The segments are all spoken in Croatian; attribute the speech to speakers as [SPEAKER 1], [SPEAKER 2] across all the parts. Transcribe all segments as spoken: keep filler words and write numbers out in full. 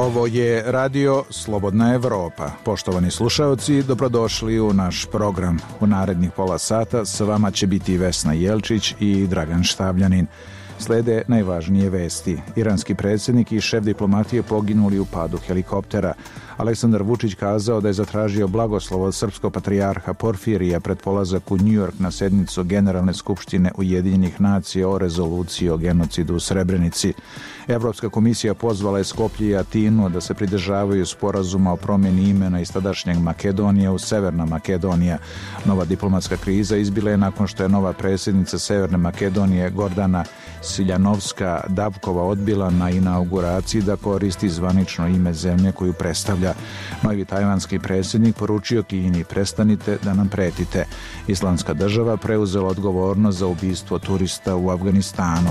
[SPEAKER 1] Ovo je radio Slobodna Evropa. Poštovani slušaoci, dobrodošli u naš program. U narednih pola sata s vama će biti Vesna Jelčić i Dragan Štavljanin. Slede najvažnije vesti. Iranski predsjednik i šef diplomatije poginuli u padu helikoptera. Aleksandar Vučić kazao da je zatražio blagoslov od srpskog patrijarha Porfirija pred polazak u New York na sednicu Generalne skupštine Ujedinjenih nacija o rezoluciji o genocidu u Srebrenici. Evropska komisija pozvala je Skoplje i Atinu da se pridržavaju sporazuma o promjeni imena iz tadašnjeg Makedonije u Severna Makedonija. Nova diplomatska kriza izbila je nakon što je nova predsjednica Severne Makedonije Gordana Siljanovska-Davkova odbila na inauguraciji da koristi zvanično ime zemlje koju predstavlja. Novi tajvanski predsjednik poručio Kini: prestanite da nam pretite. Islamska država preuzela odgovornost za ubistvo turista u Afganistanu.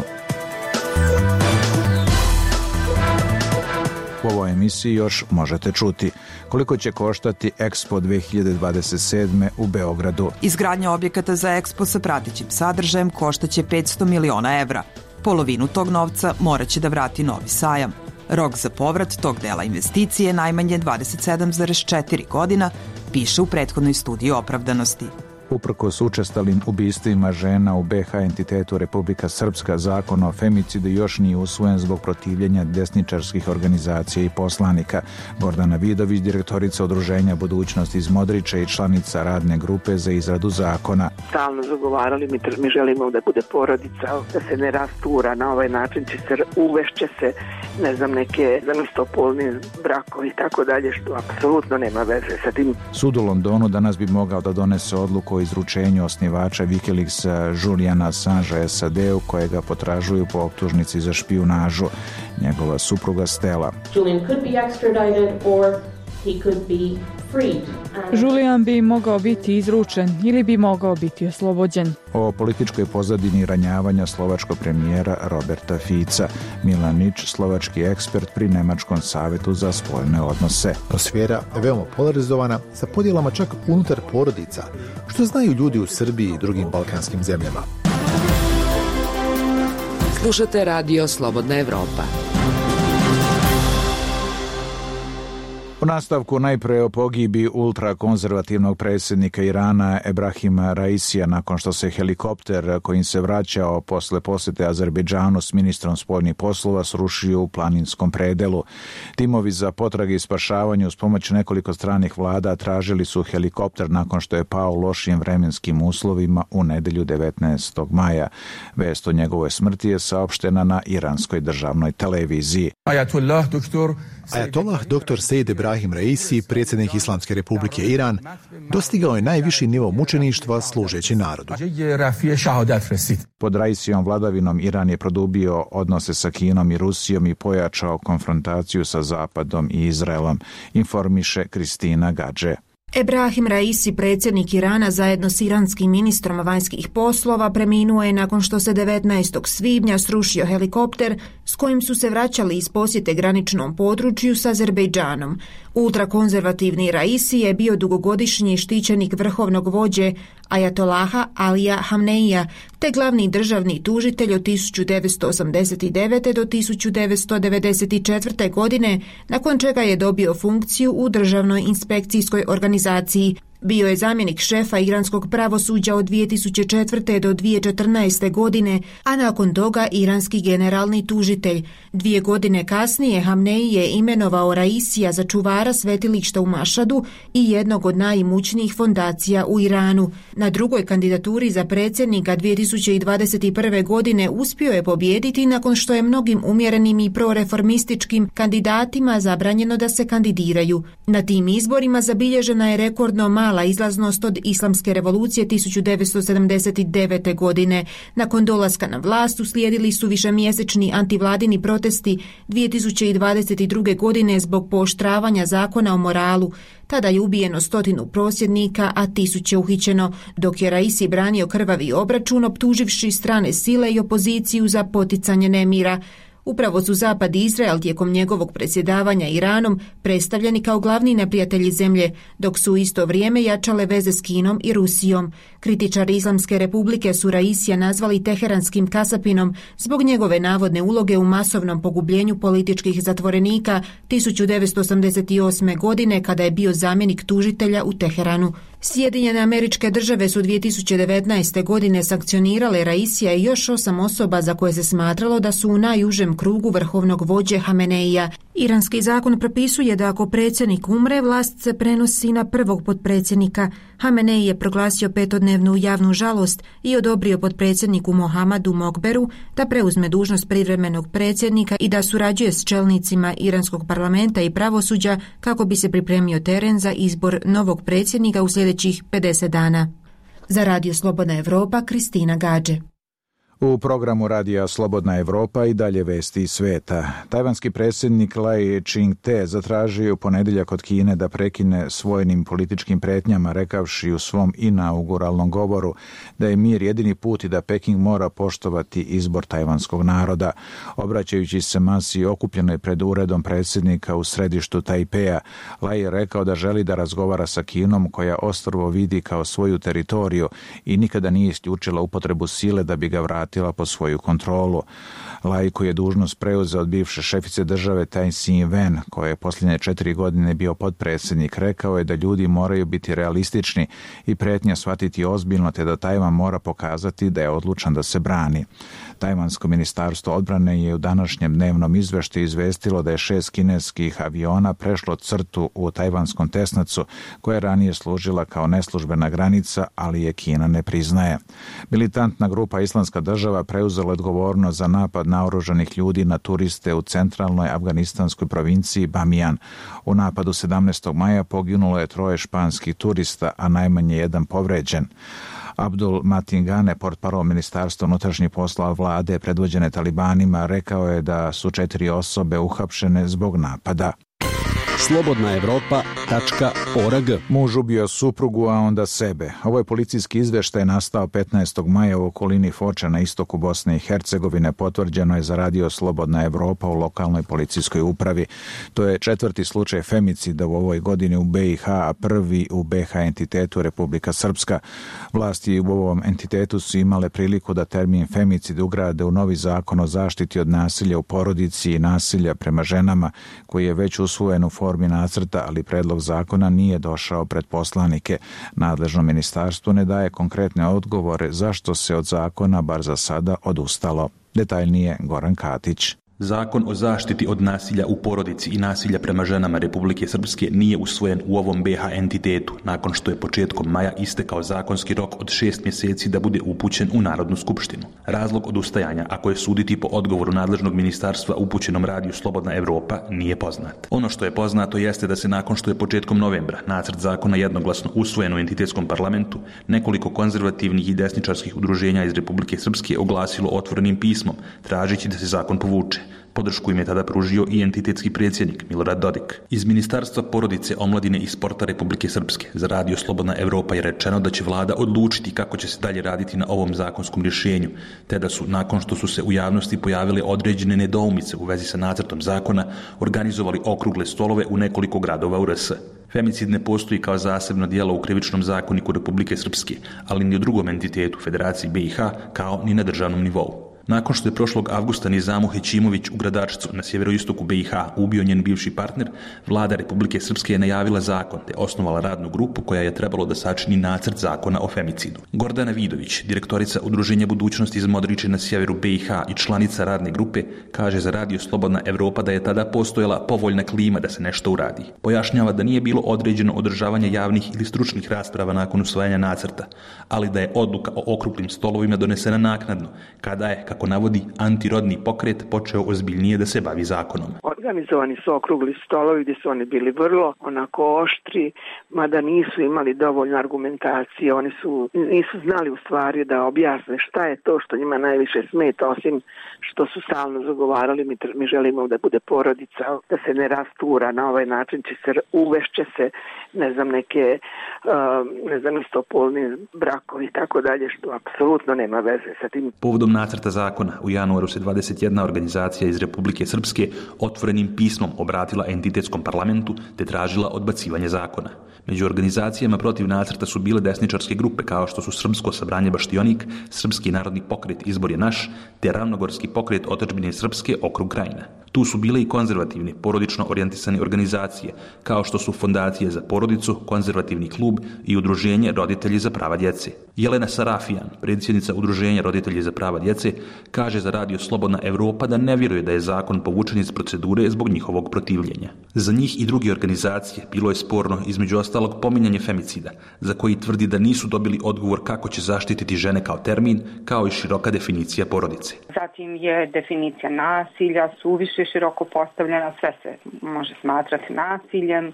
[SPEAKER 1] U ovoj emisiji još možete čuti koliko će koštati Expo dve hiljade dvadeset sedme u Beogradu.
[SPEAKER 2] Izgradnja objekata za Expo sa pratećim sadržajem koštaće petsto miliona evra. Polovinu tog novca morat će da vrati Novi Sajam. Rok za povrat tog dela investicije je najmanje dvadeset sedam zarez četiri godina, piše u prethodnoj studiji opravdanosti.
[SPEAKER 1] Uprkos učestalim ubistvima žena u be ha entitetu Republika Srpska, zakon o femicidu još nije usvojen zbog protivljenja desničarskih organizacija i poslanika. Gordana Vidović, direktorica Udruženja Budućnost iz Modriča i članica radne grupe za izradu zakona.
[SPEAKER 3] Stalno zagovarali, mi, mi želimo da bude porodica, da se ne rastura, na ovaj način će se, uvešće se, ne znam, neke istopolni brakovi i tako dalje, što apsolutno nema veze sa tim.
[SPEAKER 1] Sud u Londonu danas bi mogao da donese odluku o izručenju osnivača Wikileaksa Juliana Assangea es a de-u, kojega potražuju po optužnici za špijunažu. Njegova supruga Stella.
[SPEAKER 4] Julian could be extradited or he could be freed.
[SPEAKER 5] Julian bi mogao biti izručen ili bi mogao biti oslobođen.
[SPEAKER 1] O političkoj pozadini ranjavanja slovačkog premijera Roberta Fica. Milan Nič, slovački ekspert pri Nemačkom savetu za spoljne odnose.
[SPEAKER 6] Atmosfera je veoma polarizovana, sa podjelama čak unutar porodica, što znaju ljudi u Srbiji i drugim balkanskim zemljama.
[SPEAKER 7] Slušate radio Slobodna Evropa.
[SPEAKER 1] U nastavku najpre o pogibi ultrakonzervativnog predsjednika Irana Ebrahima Raisija nakon što se helikopter kojim se vraćao posle posjete Azerbejdžanu s ministrom spoljnih poslova srušio u planinskom predelu. Timovi za potrage i spašavanje uz pomoć nekoliko stranih vlada tražili su helikopter nakon što je pao u lošim vremenskim uslovima u nedelju devetnaestog maja. Vest o njegovoj smrti je saopštena na iranskoj državnoj televiziji.
[SPEAKER 6] Ajatollah doktor Ajatollah doktor Sejid Ebrahim Raisi, predsjednik Islamske republike Iran, dostigao je najviši nivo mučeništva služeći narodu.
[SPEAKER 1] Pod Raisijom vladavinom Iran je produbio odnose sa Kinom i Rusijom i pojačao konfrontaciju sa Zapadom i Izraelom, informiše Kristina Gadže.
[SPEAKER 8] Ebrahim Raisi, predsjednik Irana, zajedno s iranskim ministrom vanjskih poslova, preminuo je nakon što se devetnaestog svibnja srušio helikopter s kojim su se vraćali iz posjete graničnom području s Azerbejdžanom. Ultrakonzervativni Raisi je bio dugogodišnji štićenik vrhovnog vođe Ajatolaha Alija Hamneija, te glavni državni tužitelj od tisuću devetsto osamdeset devete. do tisuću devetsto devedeset četvrte. godine, nakon čega je dobio funkciju u državnoj inspekcijskoj organizaciji. Bio je zamjenik šefa iranskog pravosuđa od dvije tisuće četvrte. do dvije tisuće četrnaeste. godine, a nakon toga iranski generalni tužitelj. Dvije godine kasnije Hamneji je imenovao Raisija za čuvara svetilišta u Mašadu i jednog od najimućnijih fondacija u Iranu. Na drugoj kandidaturi za predsjednika dvije tisuće dvadeset prve. godine uspio je pobijediti nakon što je mnogim umjerenim i proreformističkim kandidatima zabranjeno da se kandidiraju. Na tim izborima zabilježena je rekordno mala izlaznost od islamske revolucije tisuću devetsto sedamdeset devete. godine. Nakon dolaska na vlast uslijedili su višemjesečni antivladini protesti dvije tisuće dvadeset druge. godine zbog pooštravanja zakona o moralu. Tada je ubijeno stotinu prosvjednika, a tisuće uhićeno, dok je Raisi branio krvavi obračun optuživši strane sile i opoziciju za poticanje nemira. Upravo su Zapad i Izrael tijekom njegovog predsjedavanja Iranom predstavljeni kao glavni neprijatelji zemlje, dok su u isto vrijeme jačale veze s Kinom i Rusijom. Kritičari Islamske republike su Raisija nazvali teheranskim kasapinom zbog njegove navodne uloge u masovnom pogubljenju političkih zatvorenika tisuću devetsto osamdeset osme. godine kada je bio zamjenik tužitelja u Teheranu. Sjedinjene Američke Države su dvije tisuće devetnaeste. godine sankcionirale Raisija i još osam osoba za koje se smatralo da su u najužem krugu vrhovnog vođe Hameneija. Iranski zakon propisuje da ako predsjednik umre, vlast se prenosi na prvog potpredsjednika. Hamenei je proglasio petodnevnu javnu žalost i odobrio potpredsjedniku Mohamadu Mokberu da preuzme dužnost privremenog predsjednika i da surađuje s čelnicima iranskog parlamenta i pravosuđa kako bi se pripremio teren za izbor novog predsjednika u sljedećih pedeset dana. Za Radio Slobodna Evropa, Kristina Gađe.
[SPEAKER 1] U programu Radija Slobodna Evropa i dalje vesti iz sveta. Tajvanski predsjednik Lai Ching-te zatražio u ponedjeljak od Kine da prekine s vojnim političkim pretnjama, rekavši u svom inauguralnom govoru da je mir jedini put i da Peking mora poštovati izbor tajvanskog naroda. Obraćajući se masi okupljenoj pred uredom predsjednika u središtu Tajpeja, Lai je rekao da želi da razgovara sa Kinom, koja ostrvo vidi kao svoju teritoriju i nikada nije isključila upotrebu sile da bi ga vratila po svoju kontrolu. Lai, koji je dužnost preuzeo od bivše šefice države Tai Ing-wen, koja je posljednje četiri godine bio potpredsjednik, rekao je da ljudi moraju biti realistični i pretnja shvatiti ozbiljno, te da Tajvan mora pokazati da je odlučan da se brani. Tajvansko ministarstvo odbrane je u današnjem dnevnom izveštaju izvestilo da je šest kineskih aviona prešlo crtu u tajvanskom Tesnacu, koja je ranije služila kao neslužbena granica, ali je Kina ne priznaje. Militantna grupa Islamska država preuzela odgovornost za napad naoružanih ljudi na turiste u centralnoj afganistanskoj provinciji Bamiyan. U napadu sedamnaestog maja poginulo je troje španskih turista, a najmanje jedan povređen. Abdul Matingane, portparol Ministarstva unutrašnjih poslova vlade predvođene talibanima, rekao je da su četiri osobe uhapšene zbog napada.
[SPEAKER 9] slobodna evropa tačka org.
[SPEAKER 1] Muž ubio suprugu, a onda sebe. Ovo je policijski izveštaj nastao petnaestog maja u okolini Foča na istoku Bosne i Hercegovine. Potvrđeno je za Radio Slobodna Evropa u lokalnoj policijskoj upravi. To je četvrti slučaj femicida u ovoj godini u B i H, a prvi u B H entitetu Republika Srpska. Vlasti u ovom entitetu su imale priliku da termin femicid ugrade u novi zakon o zaštiti od nasilja u porodici i nasilja prema ženama, koji je već usvojen u formi nacrta, ali predlog zakona nije došao pred poslanike. Nadležno ministarstvo ne daje konkretne odgovore zašto se od zakona, bar za sada, odustalo. Detaljnije Goran Katić.
[SPEAKER 10] Zakon o zaštiti od nasilja u porodici i nasilja prema ženama Republike Srpske nije usvojen u ovom B H entitetu, nakon što je početkom maja istekao zakonski rok od šest mjeseci da bude upućen u Narodnu skupštinu. Razlog odustajanja, ako je suditi po odgovoru nadležnog ministarstva upućenom Radiju Slobodna Evropa, nije poznat. Ono što je poznato jeste da se nakon što je početkom novembra nacrt zakona jednoglasno usvojen u entitetskom parlamentu, nekoliko konzervativnih i desničarskih udruženja iz Republike Srpske oglasilo otvorenim pismom, tražeći da se zakon povuče. Podršku im je tada pružio i entitetski predsjednik Milorad Dodik. Iz Ministarstva porodice, omladine i sporta Republike Srpske za Radio Slobodna Evropa je rečeno da će vlada odlučiti kako će se dalje raditi na ovom zakonskom rješenju, te da su, nakon što su se u javnosti pojavile određene nedoumice u vezi sa nacrtom zakona, organizovali okrugle stolove u nekoliko gradova u R S. Femicid ne postoji kao zasebno djelo u krivičnom zakoniku Republike Srpske, ali ni u drugom entitetu Federaciji B i H, kao ni na državnom nivou. Nakon što je prošlog avgusta Nizamu Hećimović u Gradačcu na sjeveroistoku B i H ubio njen bivši partner, vlada Republike Srpske je najavila zakon te osnovala radnu grupu koja je trebalo da sačini nacrt zakona o femicidu. Gordana Vidović, direktorica Udruženja budućnosti iz Modriče na sjeveru B i H i članica radne grupe, kaže za Radio Slobodna Evropa da je tada postojala povoljna klima da se nešto uradi. Pojašnjava da nije bilo određeno održavanje javnih ili stručnih rasprava nakon usvajanja nacrta, ali da je odluka o okruglim stolovima donesena naknadno, kada je, kako navodi, antirodni pokret počeo ozbiljnije da se bavi zakonom.
[SPEAKER 3] Organizovani su okrugli stolovi gdje su oni bili vrlo onako oštri, mada nisu imali dovoljno argumentacije, oni su, nisu znali u stvari da objasne šta je to što njima najviše smeta, osim što su stalno zagovarali, mi, mi želimo da bude porodica, da se ne rastura, na ovaj način će se, uvešće se, ne znam, neke, uh, ne znam, istopolni brakovi i tako dalje, što apsolutno nema veze sa tim.
[SPEAKER 10] Povodom nacrta zakona u januaru se dvadeset jedna organizacija iz Republike Srpske otvorenim pismom obratila entitetskom parlamentu te tražila odbacivanje zakona. Među organizacijama protiv nacrta su bile desničarske grupe kao što su Srpsko sabranje Baštionik, Srpski narodni pokret Izbor je naš, te Ravnogorski pokret Otadžbine Srpske okrug Krajina. Tu su bile i konzervativne, porodično orijentisane organizacije, kao što su Fondacije za porodicu, Konzervativni klub i Udruženje roditelji za prava djece. Jelena Sarafijan, predsjednica Udruženja roditelji za prava djece, kaže za radio Slobodna Evropa da ne vjeruje da je zakon povučen iz procedure zbog njihovog protivljenja. Za njih i druge organizacije bilo je sporno između ostalog pominjanje femicida, za koji tvrdi da nisu dobili odgovor kako će zaštititi žene kao termin, kao i široka definicija porodice.
[SPEAKER 11] Zatim je definicija nasilja suviše široko postavljena, sve se može smatrati nasiljem.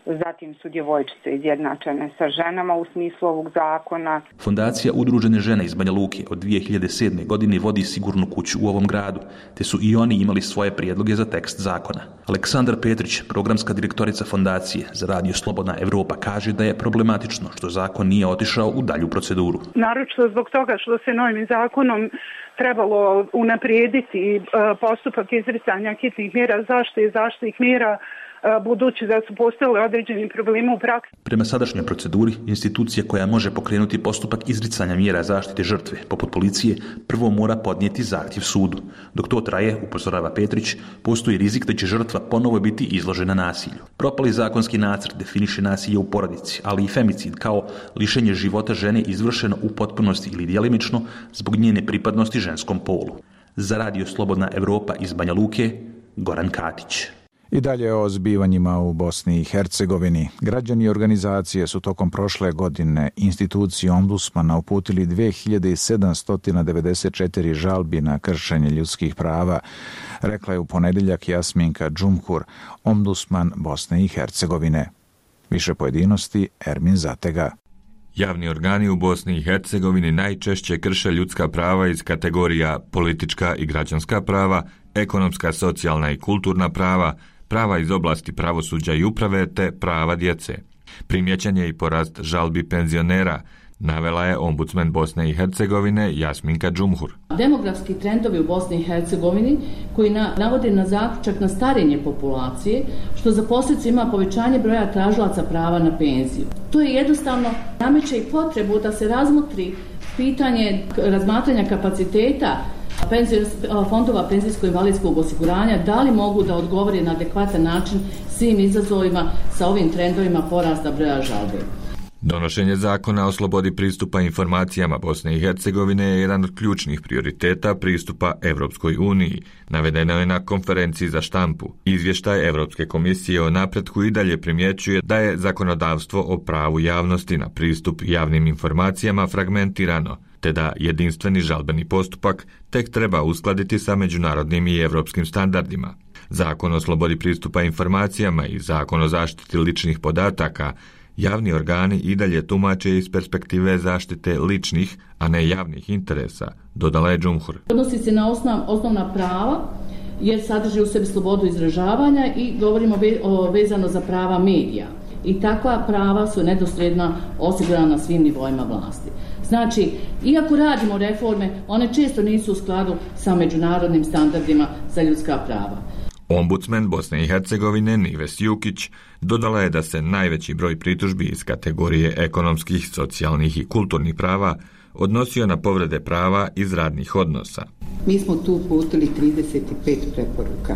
[SPEAKER 11] Zatim su djevojčice izjednačene sa ženama u smislu ovog zakona.
[SPEAKER 10] Fondacija Udružene žene iz Banja Luke od dvije hiljade sedme. godine vodi sigurnu kuću u ovom gradu, te su i oni imali svoje prijedloge za tekst zakona. Aleksandar Petrić, programska direktorica fondacije za radio Slobodna Evropa, kaže da je problematično što zakon nije otišao u dalju proceduru.
[SPEAKER 12] Naročito zbog toga što se novim zakonom trebalo unaprijediti postupak izricanja hitnih mjera zaštite i zaštitnih mjera, budući da su postojali određeni problemi u praksi.
[SPEAKER 10] Prema sadašnjoj proceduri, institucija koja može pokrenuti postupak izricanja mjera zaštite žrtve, poput policije, prvo mora podnijeti zahtjev sudu. Dok to traje, upozorava Petrić, postoji rizik da će žrtva ponovo biti izložena nasilju. Propali zakonski nacrt definiše nasilje u porodici, ali i femicid kao lišenje života žene izvršeno u potpunosti ili djelimično zbog njene pripadnosti ženskom polu. Za radio Slobodna Evropa iz Banja Luke, Goran Katić.
[SPEAKER 1] I dalje o zbivanjima u Bosni i Hercegovini. Građani i organizacije su tokom prošle godine instituciji ombudsmana uputili dve hiljade sedamsto devedeset četiri žalbi na kršenje ljudskih prava, rekla je u ponedjeljak Jasminka Džumhur, ombudsman Bosne i Hercegovine. Više pojedinosti Ermin Zatega.
[SPEAKER 13] Javni organi u Bosni i Hercegovini najčešće krše ljudska prava iz kategorija politička i građanska prava, ekonomska, socijalna i kulturna prava, prava iz oblasti pravosuđa i uprave te prava djece. Primjećen je i porast žalbi penzionera, navela je ombudsman Bosne i Hercegovine Jasminka Džumhur.
[SPEAKER 14] Demografski trendovi u Bosni i Hercegovini koji na, navode na zaključak na starenje populacije, što za posljedicu ima povećanje broja tražilaca prava na penziju. To je jednostavno nameće i potrebu da se razmotri pitanje razmatranja kapaciteta fondova penzijsko-invalidskog osiguranja, da li mogu da odgovore na adekvatan način svim izazovima sa ovim trendovima porasta broja žalbe.
[SPEAKER 13] Donošenje zakona o slobodi pristupa informacijama Bosne i Hercegovine je jedan od ključnih prioriteta pristupa Evropskoj uniji, navedeno je na konferenciji za štampu. Izvještaj Evropske komisije o napretku i dalje primjećuje da je zakonodavstvo o pravu javnosti na pristup javnim informacijama fragmentirano, te da jedinstveni žalbeni postupak tek treba uskladiti sa međunarodnim i evropskim standardima. Zakon o slobodi pristupa informacijama i Zakon o zaštiti ličnih podataka javni organi i dalje tumače iz perspektive zaštite ličnih, a ne javnih interesa, dodala je Džumhur.
[SPEAKER 14] Odnosi se na osnov, osnovna prava, jer sadrži u sebi slobodu izražavanja i govorimo ve, o, vezano za prava medija. I takva prava su nedosljedno osigurana na svim nivoima vlasti. Znači, iako radimo reforme, one često nisu u skladu sa međunarodnim standardima za ljudska prava.
[SPEAKER 13] Ombudsman Bosne i Hercegovine Nives Jukić dodala je da se najveći broj pritužbi iz kategorije ekonomskih, socijalnih i kulturnih prava odnosio na povrede prava iz radnih odnosa.
[SPEAKER 15] Mi smo tu uputili trideset pet preporuka.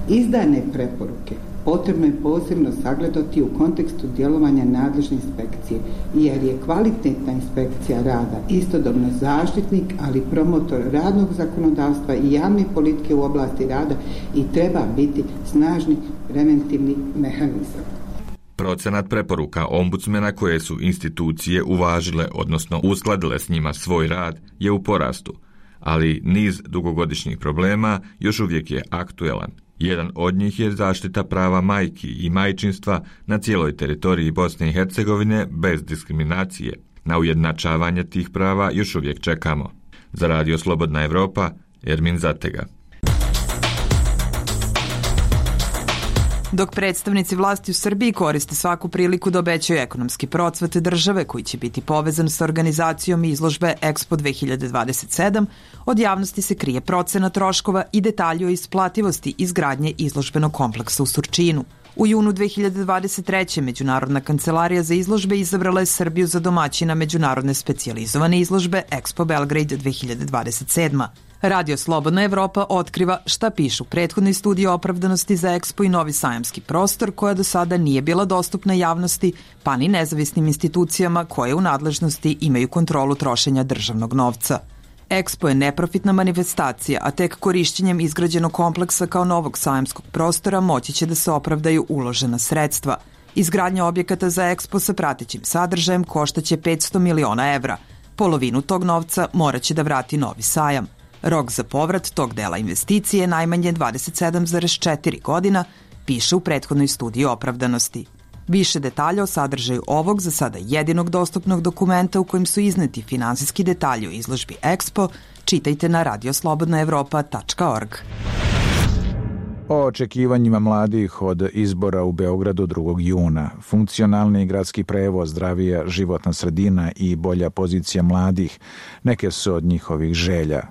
[SPEAKER 15] Izdane preporuke potrebno je posebno sagledati u kontekstu djelovanja nadležne inspekcije, jer je kvalitetna inspekcija rada istodobno zaštitnik, ali promotor radnog zakonodavstva i javne politike u oblasti rada i treba biti snažni preventivni mehanizam.
[SPEAKER 13] Procenat preporuka ombudsmena koje su institucije uvažile, odnosno uskladile s njima svoj rad, je u porastu, ali niz dugogodišnjih problema još uvijek je aktuelan. Jedan od njih je zaštita prava majki i majčinstva na cijeloj teritoriji Bosne i Hercegovine bez diskriminacije. Na ujednačavanje tih prava još uvijek čekamo. Za Radio Slobodna Evropa, Ermin Zatega.
[SPEAKER 2] Dok predstavnici vlasti u Srbiji koriste svaku priliku da obećaju ekonomski procvat države koji će biti povezan sa organizacijom izložbe Expo dve hiljade dvadeset sedam, od javnosti se krije procena troškova i detalji o isplativosti izgradnje izložbenog kompleksa u Surčinu. U junu dve hiljade dvadeset treće. Međunarodna kancelarija za izložbe izabrala je Srbiju za domaćina međunarodne specijalizovane izložbe Expo Belgrade dve hiljade dvadeset sedma. Radio Slobodna Evropa otkriva šta pišu prethodni studiji opravdanosti za Expo i novi sajamski prostor koja do sada nije bila dostupna javnosti, pa ni nezavisnim institucijama koje u nadležnosti imaju kontrolu trošenja državnog novca. Expo je neprofitna manifestacija, a tek korišćenjem izgrađenog kompleksa kao novog sajamskog prostora moći će da se opravdaju uložena sredstva. Izgradnja objekata za Expo sa pratećim sadržajem koštaće petsto miliona evra. Polovinu tog novca moraće da vrati novi sajam. Rok za povrat tog dela investicije je najmanje dvadeset sedam zarez četiri godina, piše u prethodnoj studiji opravdanosti. Više detalja o sadržaju ovog za sada jedinog dostupnog dokumenta u kojem su izneti finansijski detalji o izložbi Expo, čitajte na radio slobodna evropa tačka org.
[SPEAKER 1] O očekivanjima mladih od izbora u Beogradu drugog juna, funkcionalni gradski prevoz, zdravija životna sredina i bolja pozicija mladih, neke su od njihovih želja.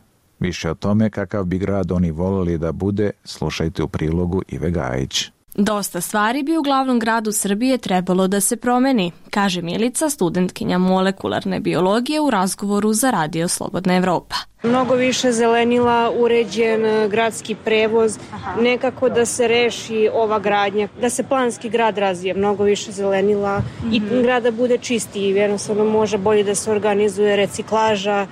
[SPEAKER 1] Više o tome kakav bi grad oni volili da bude, slušajte u prilogu Ive Gajić.
[SPEAKER 16] Dosta stvari bi u glavnom gradu Srbije trebalo da se promeni, kaže Milica, studentkinja molekularne biologije u razgovoru za Radio Slobodna Evropa.
[SPEAKER 17] Mnogo više zelenila, uređen gradski prevoz, nekako da se reši ova gradnja, da se planski grad razvije, mnogo više zelenila mm-hmm. i grada bude čistiji, jednostavno može bolje da se organizuje reciklaža,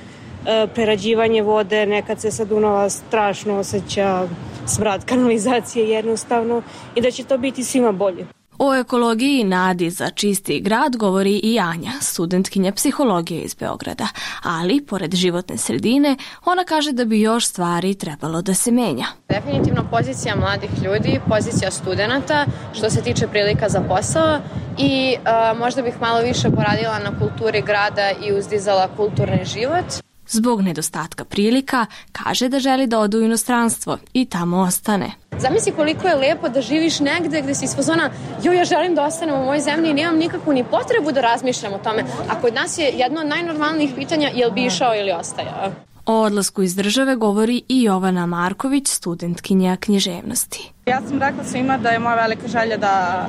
[SPEAKER 17] prerađivanje vode, nekad se sa Dunava strašno osjeća smrad kanalizacije jednostavno i da će to biti svima bolje.
[SPEAKER 16] O ekologiji i nadi za čisti grad govori i Anja, studentkinja psihologije iz Beograda, ali pored životne sredine ona kaže da bi još stvari trebalo da se menja.
[SPEAKER 18] Definitivno pozicija mladih ljudi, pozicija studenata što se tiče prilika za posao i uh, možda bih malo više poradila na kulturi grada i uzdizala kulturni život.
[SPEAKER 16] Zbog nedostatka prilika, kaže da želi da ode u inostranstvo i tamo ostane.
[SPEAKER 18] Zamisli koliko je lepo da živiš negde gde si iz fazona, jo, ja želim da ostanem u mojoj zemlji i nemam nikakvu ni potrebu da razmišljam o tome. A kod nas je jedno od najnormalnijih pitanja jel bi išao ili ostajao.
[SPEAKER 16] O odlasku iz države govori i Jovana Marković, studentkinja književnosti.
[SPEAKER 19] Ja sam rekla svima da je moja velika želja da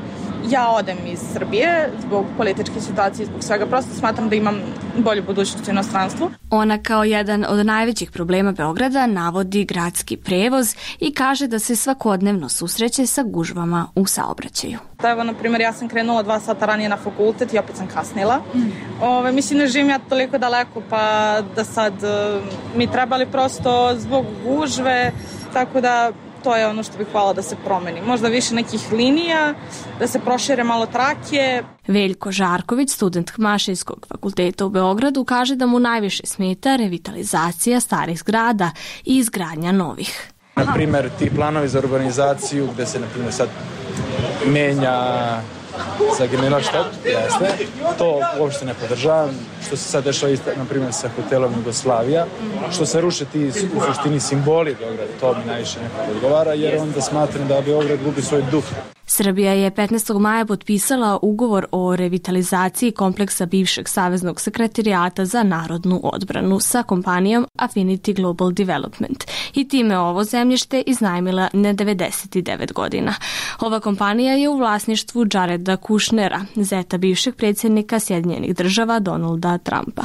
[SPEAKER 19] ja odem iz Srbije zbog političke situacije, zbog svega. Prosto smatram da imam bolju budućnost u inostranstvu.
[SPEAKER 16] Ona kao jedan od najvećih problema Beograda navodi gradski prevoz i kaže da se svakodnevno susreće sa gužvama u saobraćaju.
[SPEAKER 19] Evo, na primjer, ja sam krenula dva sata ranije na fakultet i opet sam kasnila. Mm. Ove, mislim, ne živim ja toliko daleko, pa da sad uh, mi trebali prosto zbog gužve, tako da to je ono što bih hvala da se promeni. Možda više nekih linija, da se prošire malo trake.
[SPEAKER 16] Veljko Žarković, student Mašinskog fakulteta u Beogradu, kaže da mu najviše smeta revitalizacija starih zgrada i izgradnja novih.
[SPEAKER 20] Na primjer, ti planovi za urbanizaciju gde se, na primjer, sad menja za generalštab, jeste, to uopšte ne podržavam, što se sad dešava isto, na primjer, sa hotelom Jugoslavija, što se ruše ti u suštini simboli Beograda, to mi najviše nekako odgovara, jer onda smatram da Beograd gubi svoj duh.
[SPEAKER 16] Srbija je petnaestog maja potpisala ugovor o revitalizaciji kompleksa bivšeg Saveznog sekretarijata za narodnu odbranu sa kompanijom Affinity Global Development i time ovo zemljište iznajmila na devedeset devet godina. Ova kompanija je u vlasništvu Jareda Kushnera, zeta bivšeg predsjednika Sjedinjenih država Donalda Trumpa.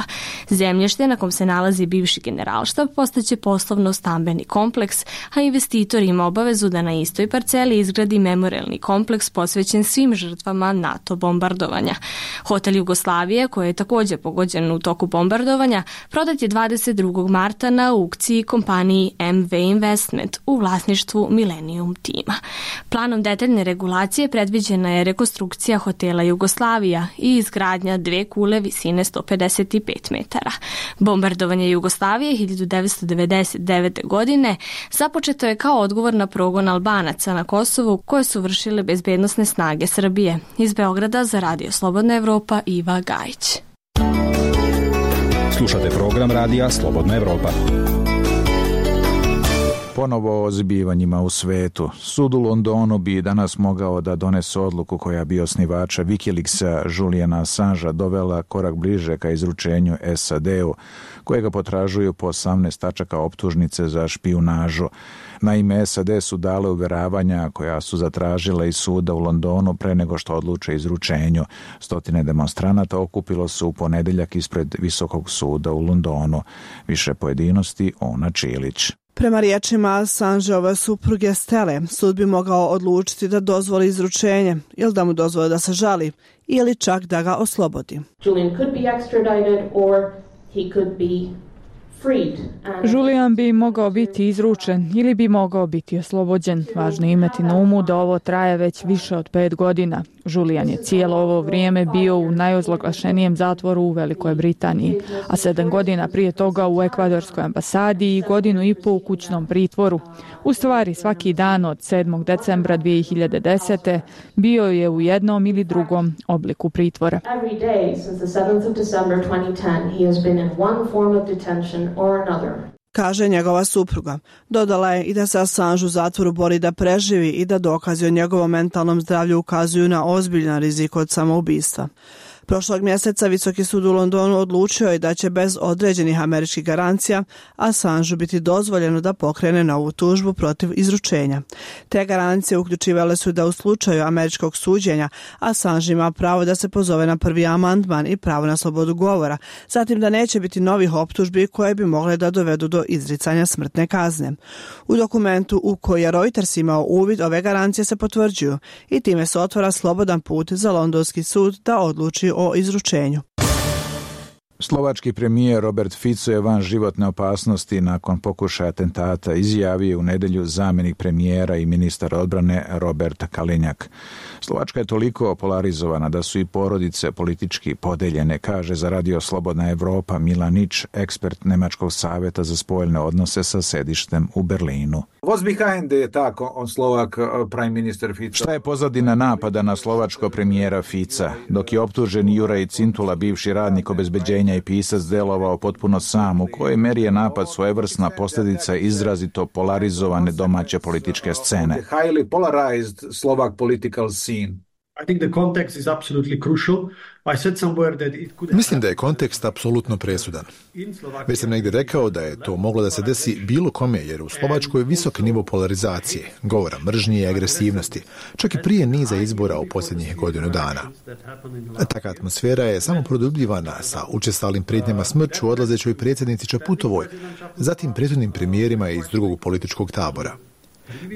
[SPEAKER 16] Zemljište na kom se nalazi bivši generalštab postaće poslovno-stambeni kompleks, a investitor ima obavezu da na istoj parceli izgradi memorialni kompleks kompleks posvećen svim žrtvama NATO bombardovanja. Hotel Jugoslavije, koji je također pogođen u toku bombardovanja, prodat je dvadeset drugog marta na aukciji kompaniji M V Investment u vlasništvu Millennium tima. Planom detaljne regulacije predviđena je rekonstrukcija hotela Jugoslavija i izgradnja dve kule visine sto pedeset pet metara. Bombardovanje Jugoslavije hiljadu devetsto devedeset devete. godine započeto je kao odgovor na progon Albanaca na Kosovu koje su vršile bezbednosne snage Srbije. Iz Beograda za Radio Slobodna Evropa Iva Gajić.
[SPEAKER 9] Slušate program Radija Slobodna Evropa.
[SPEAKER 1] Ponovo o zbivanjima u svetu. Sud u Londonu bi danas mogao da donese odluku koja bi osnivača Wikileaksa Juliana Assangea dovela korak bliže ka izručenju S A D-u, kojega potražuju po osamnaest tačaka optužnice za špijunažu. Naime, S A D su dale uveravanja koja su zatražile iz suda u Londonu pre nego što odluče izručenju. Stotine demonstranata okupilo se u ponedeljak ispred Visokog suda u Londonu. Više pojedinosti Ona Čilić.
[SPEAKER 21] Prema riječima Assangeove supruge Stele, sud bi mogao odlučiti da dozvoli izručenje ili da mu dozvoli da se žali ili čak da ga oslobodi.
[SPEAKER 4] Julian could be extradited or he could be freed.
[SPEAKER 5] Julian bi mogao biti izručen ili bi mogao biti oslobođen. Važno je imati na umu da ovo traje već više od pet godina. Julian je cijelo ovo vrijeme bio u najozloglašenijem zatvoru u Velikoj Britaniji, a sedam godina prije toga u ekvadorskoj ambasadi i godinu i pol u kućnom pritvoru. U stvari, svaki dan od sedmog decembra dvije hiljade desete. bio je u jednom ili drugom obliku pritvora.
[SPEAKER 4] Every day since the seventh of December twenty ten, he has been in one form of detention or another.
[SPEAKER 21] Kaže njegova supruga. Dodala je i da se Assange u zatvoru bori da preživi i da dokazi o njegovom mentalnom zdravlju ukazuju na ozbiljan rizik od samoubistva. Prošlog mjeseca Visoki sud u Londonu odlučio je da će bez određenih američkih garancija Assangeu biti dozvoljeno da pokrene novu tužbu protiv izručenja. Te garancije uključivale su da u slučaju američkog suđenja Assange ima pravo da se pozove na prvi amandman i pravo na slobodu govora, zatim da neće biti novih optužbi koje bi mogle da dovedu do izricanja smrtne kazne. U dokumentu u koji je Reuters imao uvid, ove garancije se potvrđuju i time se otvara slobodan put za londonski sud da odluči o izručenju.
[SPEAKER 1] Slovački premijer Robert Fico je van životne opasnosti nakon pokušaja atentata, izjavio u nedjelju zamjenik premijera i ministar odbrane Robert Kalinjak. Slovačka je toliko polarizovana da su i porodice politički podeljene, kaže za Radio Slobodna Evropa Milanić, ekspert Nemačkog savjeta za spoljne odnose sa sedištem u Berlinu.
[SPEAKER 22] What's behind the attack on Slovak uh, prime minister Fico?
[SPEAKER 1] Šta je pozadina napada na slovačkog premijera Fica? Dok je optužen Juraj Cintula, bivši radnik obezbeđenja i pisac, delovao potpuno sam, u kojoj meri je napad svojevrsna posljedica izrazito polarizovane domaće političke scene.
[SPEAKER 22] The highly polarized Slovak political scene.
[SPEAKER 23] I think the context is absolutely crucial. I said somewhere that it could...
[SPEAKER 6] Mislim da je kontekst apsolutno presudan. Već sam negdje rekao da je to moglo da se desi bilo kome, jer u Slovačkoj je visok nivo polarizacije, govora mržnje i agresivnosti, čak i prije niza izbora u posljednjih godinu dana. Taka atmosfera je samo produbljivana sa učestalim prijetnjama smrću odlazećoj predsjednici Čaputovoj, zatim prethodnim premijerima iz drugog političkog tabora.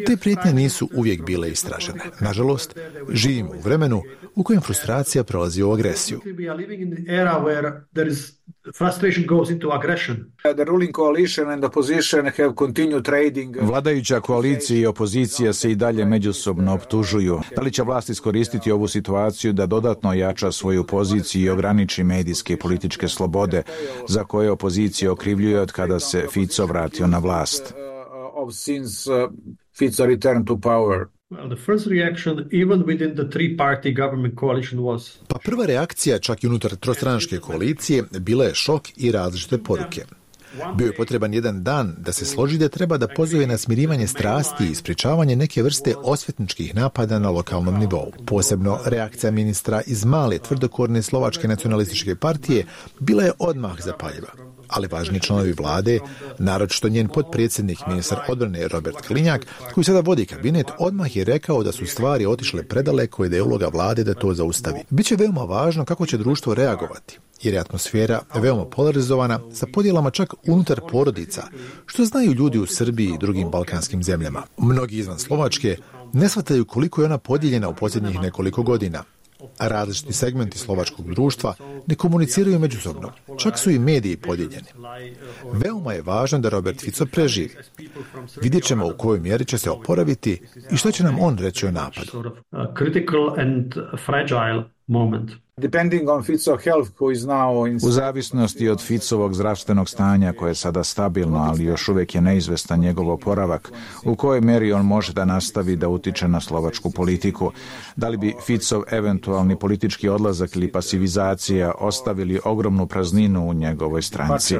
[SPEAKER 6] Te prijetnje nisu uvijek bile istražene. Nažalost, živimo u vremenu u kojem frustracija prelazi u agresiju.
[SPEAKER 1] Vladajuća koalicija i opozicija se i dalje međusobno optužuju. Da li će vlast iskoristiti ovu situaciju da dodatno ojača svoju poziciju i ograniči medijske i političke slobode za koje opozicija okrivljuje od kada se Fico vratio na vlast?
[SPEAKER 22] Of since uh, Fico returned to power.
[SPEAKER 23] Well, the first reaction, even within the three-party government coalition, was...
[SPEAKER 6] Pa prva reakcija, čak i unutar trostranačke koalicije, bila je šok i različite poruke. Bio je potreban jedan dan da se složi da treba da pozove na smirivanje strasti i sprječavanje neke vrste osvetničkih napada na lokalnom nivou. Posebno reakcija ministra iz male tvrdokorne slovačke nacionalističke partije bila je odmah zapaljiva. Ali važni članovi vlade, naročito njen potpredsjednik ministar odbrane Robert Kalinjak, koji sada vodi kabinet, odmah je rekao da su stvari otišle predaleko i da je uloga vlade da to zaustavi. Biće veoma važno kako će društvo reagovati. jer je atmosfera veoma polarizovana sa podjelama čak unutar porodica, što znaju ljudi u Srbiji i drugim balkanskim zemljama. Mnogi izvan Slovačke ne shvataju koliko je ona podijeljena u posljednjih nekoliko godina. A različiti segmenti slovačkog društva ne komuniciraju međusobno. Čak su i mediji podijeljeni. Veoma je važno da Robert Fico preživi. Vidjet ćemo u kojoj mjeri će se oporaviti i što će nam on reći o napadu.
[SPEAKER 1] U zavisnosti od Ficovog zdravstvenog stanja koje je sada stabilno, ali još uvijek je neizvestan njegov oporavak, u kojoj mjeri on može da nastavi da utiče na slovačku politiku. Da li bi Ficov eventualni politički odlazak ili pasivizacija ostavili ogromnu prazninu u njegovoj stranci?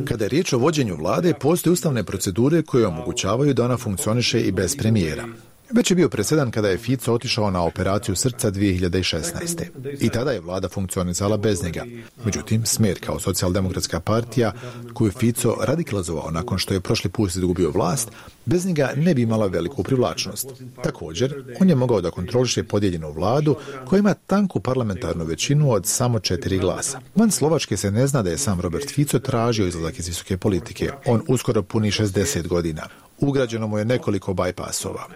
[SPEAKER 6] Kada je riječ o vođenju vlade, postoje ustavne procedure koje omogućavaju da ona funkcioniše i bez premijera. Već je bio presedan kada je Fico otišao na operaciju srca dvije hiljade šesnaeste. I tada je vlada funkcionisala bez njega. Međutim, Smer kao socijaldemokratska partija, koju Fico radikalizovao nakon što je prošli put izgubio vlast, bez njega ne bi imala veliku privlačnost. Također, on je mogao da kontroliše podijeljenu vladu koja ima tanku parlamentarnu većinu od samo četiri glasa. Van Slovačke se ne zna da je sam Robert Fico tražio izlazak iz visoke politike. On uskoro puni šezdeset godina. Ugrađeno mu je nekoliko bajpasova.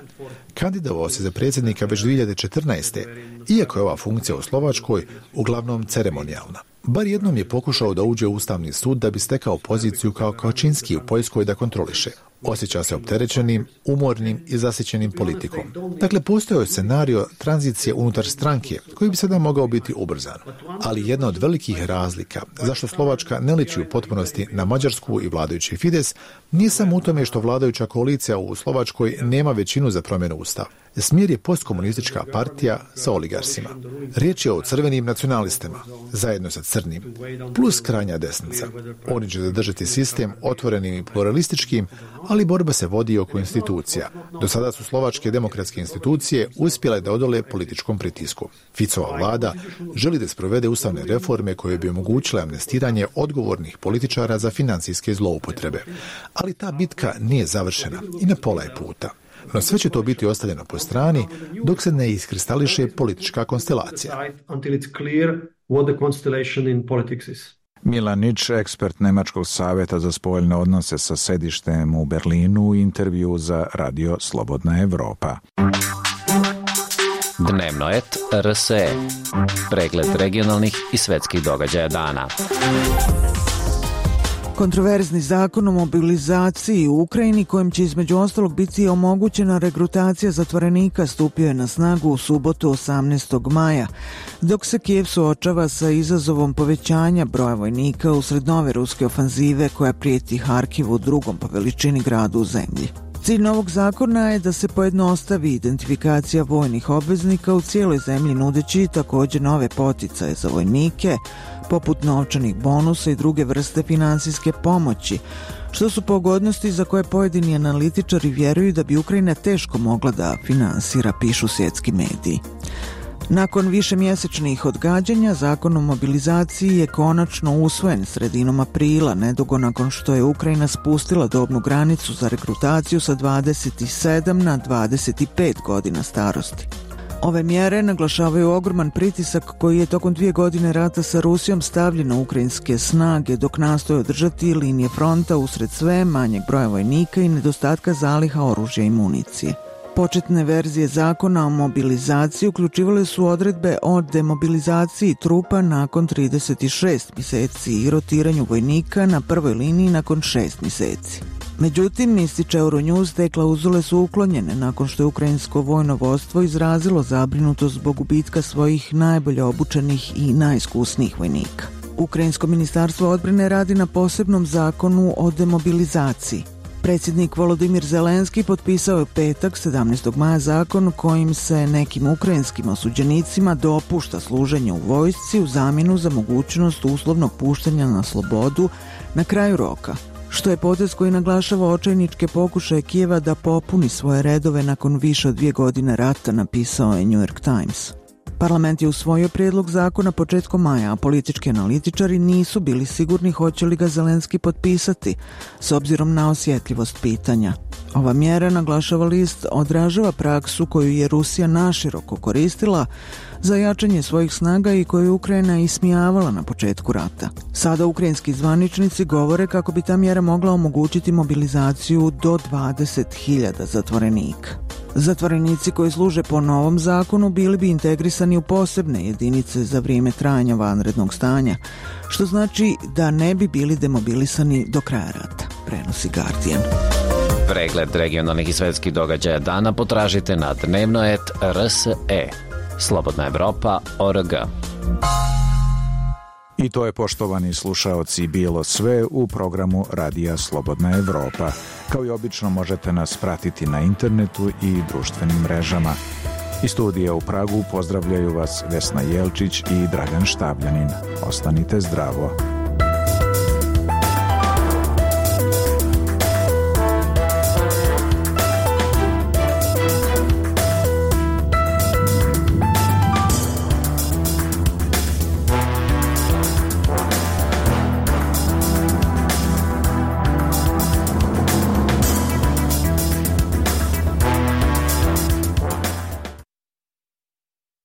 [SPEAKER 6] Kandidovao se za predsjednika već dvije hiljade četrnaeste. Iako je ova funkcija u Slovačkoj uglavnom ceremonijalna. Bar jednom je pokušao da uđe u Ustavni sud da bi stekao poziciju kao Kačinski u Poljskoj da kontroliše. Osjeća se opterećenim, umornim i zasićenim politikom. Dakle, postojao je scenario tranzicije unutar stranke koji bi sada mogao biti ubrzan. Ali jedna od velikih razlika zašto Slovačka ne liči u potpunosti na Mađarsku i vladajući Fides nije samo u tome što vladajuća koalicija u Slovačkoj nema većinu za promjenu ustava. Smjer je postkomunistička partija sa oligarsima. Riječ je o crvenim nacionalistima, zajedno sa crnim, plus krajnja desnica. Oni će zadržati sistem otvorenim i pluralističkim, ali borba se vodi oko institucija. Do sada su slovačke demokratske institucije uspjele da odole političkom pritisku. Ficova vlada želi da sprovede ustavne reforme koje bi omogućile amnestiranje odgovornih političara za financijske zloupotrebe. Ali ta bitka nije završena i na pola je puta. No sve će to biti ostavljeno po strani dok se ne iskristališe politička konstelacija.
[SPEAKER 1] Milan Nič, ekspert Nemačkog savjeta za spoljne odnose sa sedištem u Berlinu, u intervju za Radio Slobodna Evropa.
[SPEAKER 3] Dnevnoet R S E. Pregled regionalnih i svetskih događaja dana.
[SPEAKER 7] Kontroverzni zakon o mobilizaciji u Ukrajini, kojim će između ostalog biti omogućena regrutacija zatvorenika, stupio je na snagu u subotu osamnaestog maja, dok se Kijev suočava sa izazovom povećanja broja vojnika usred nove ruske ofanzive koja prijeti Harkivu, drugom po veličini gradu u zemlji. Cilj novog zakona je da se pojednostavi identifikacija vojnih obveznika u cijeloj zemlji, nudeći također nove poticaje za vojnike, poput novčanih bonusa i druge vrste finansijske pomoći, što su pogodnosti za koje pojedini analitičari vjeruju da bi Ukrajina teško mogla da finansira, pišu svjetski mediji. Nakon višemjesečnih odgađanja, zakon o mobilizaciji je konačno usvojen sredinom aprila, nedugo nakon što je Ukrajina spustila dobnu granicu za regrutaciju sa dvadeset sedam na dvadeset pet godina starosti. Ove mjere naglašavaju ogroman pritisak koji je tokom dvije godine rata sa Rusijom stavljen na ukrajinske snage, dok nastoje održati linije fronta usred sve manjeg broja vojnika i nedostatka zaliha oružja i municije. Početne verzije zakona o mobilizaciji uključivale su odredbe o demobilizaciji trupa nakon trideset šest mjeseci i rotiranju vojnika na prvoj liniji nakon šest mjeseci. Međutim, ističe Euronews, te klauzule su uklonjene nakon što je ukrajinsko vojno vodstvo izrazilo zabrinutost zbog gubitka svojih najbolje obučenih i najiskusnijih vojnika. Ukrajinsko ministarstvo odbrane radi na posebnom zakonu o demobilizaciji. Predsjednik Volodimir Zelenski potpisao je u petak sedamnaestog maja zakon kojim se nekim ukrajinskim osuđenicima dopušta služenje u vojsci u zamjenu za mogućnost uslovnog puštanja na slobodu na kraju roka, što je potez koji naglašava očajničke pokušaje Kijeva da popuni svoje redove nakon više od dvije godine rata, napisao je New York Times. Parlament je usvojio prijedlog zakona početkom maja, a politički analitičari nisu bili sigurni hoće li ga Zelenski potpisati, s obzirom na osjetljivost pitanja. Ova mjera, naglašava list, odražava praksu koju je Rusija naširoko koristila za jačanje svojih snaga i koju Ukrajina ismijavala na početku rata. Sada ukrajinski zvaničnici govore kako bi ta mjera mogla omogućiti mobilizaciju do dvadeset hiljada zatvorenika. Zatvorenici koji služe po novom zakonu bili bi integrisani u posebne jedinice za vrijeme trajanja vanrednog stanja, što znači da ne bi bili demobilisani do kraja rata, prenosi Guardian.
[SPEAKER 3] Pregled regionalnih i svetskih događaja dana potražite na dnevnoet R S E. Slobodna Evropa точка org.
[SPEAKER 1] I to je, poštovani slušaoci, bilo sve u programu Radija Slobodna Evropa. Kao i obično možete nas pratiti na internetu i društvenim mrežama. Iz studija u Pragu pozdravljaju vas Vesna Jelčić i Dragan Štabljanin. Ostanite zdravo.